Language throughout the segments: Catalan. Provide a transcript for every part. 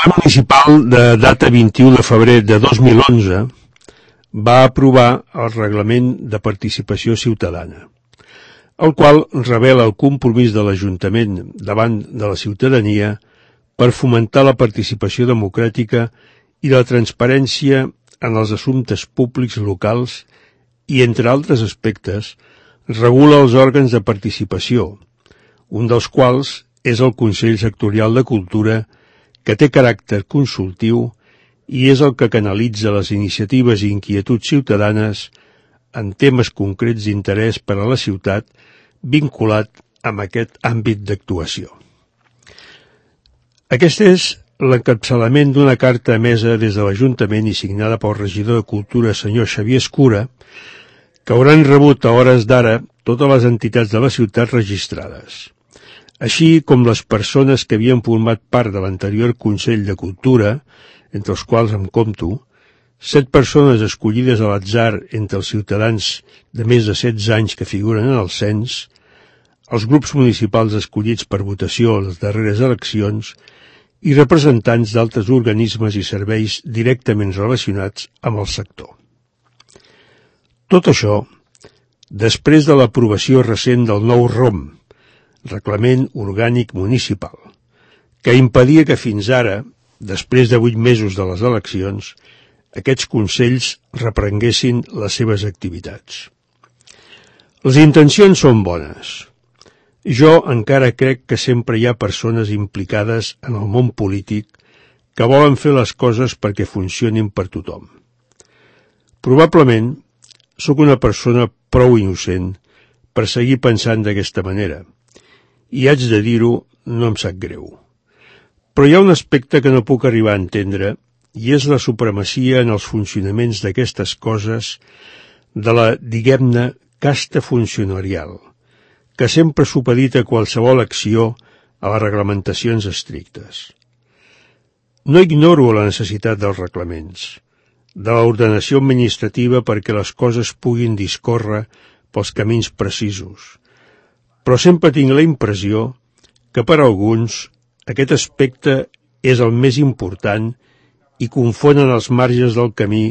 ple municipal de data 21 de febrer de 2011 va aprovar el Reglament de Participació Ciutadana, el qual revela el compromís de l'Ajuntament davant de la ciutadania per fomentar la participació democràtica i la transparència en els assumptes públics locals i, entre altres aspectes, regula els òrgans de participació, un dels quals és el Consell Sectorial de Cultura, que té caràcter consultiu i és el que canalitza les iniciatives i inquietuds ciutadanes en temes concrets d'interès per a la ciutat vinculat amb aquest àmbit d'actuació. Aquest és l'encapçalament d'una carta emesa des de l'Ajuntament i signada pel regidor de Cultura, senyor Xavier Escura, que hauran rebut a hores d'ara totes les entitats de la ciutat registrades, així com les persones que havien format part de l'anterior Consell de Cultura, entre els quals em compto, 7 persones escollides a l'atzar entre els ciutadans de més de 16 anys que figuren en el cens, els grups municipals escollits per votació a les darreres eleccions i representants d'altres organismes i serveis directament relacionats amb el sector. Tot això, després de l'aprovació recent del nou ROM, Reglament Orgànic Municipal, que impedia que fins ara, després de 8 mesos de les eleccions, aquests consells reprenguessin les seves activitats. Les intencions són bones. Jo encara crec que sempre hi ha persones implicades en el món polític que volen fer les coses perquè funcionin per tothom. Probablement sóc una persona prou innocent per seguir pensant d'aquesta manera, i haig de dir-ho, no em sap greu. Però hi ha un aspecte que no puc arribar a entendre, i és la supremacia en els funcionaments d'aquestes coses de la, diguem-ne, casta funcionarial, que sempre supedita qualsevol acció a les reglamentacions estrictes. No ignoro la necessitat dels reglaments, de l'ordenació administrativa perquè les coses puguin discórrer pels camins precisos, però sempre tinc la impressió que per alguns aquest aspecte és el més important i confonen els marges del camí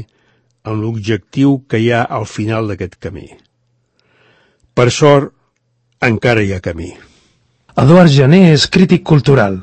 amb l'objectiu que hi ha al final d'aquest camí. Per sort, encara hi ha camí. Eduard Jané és crític cultural.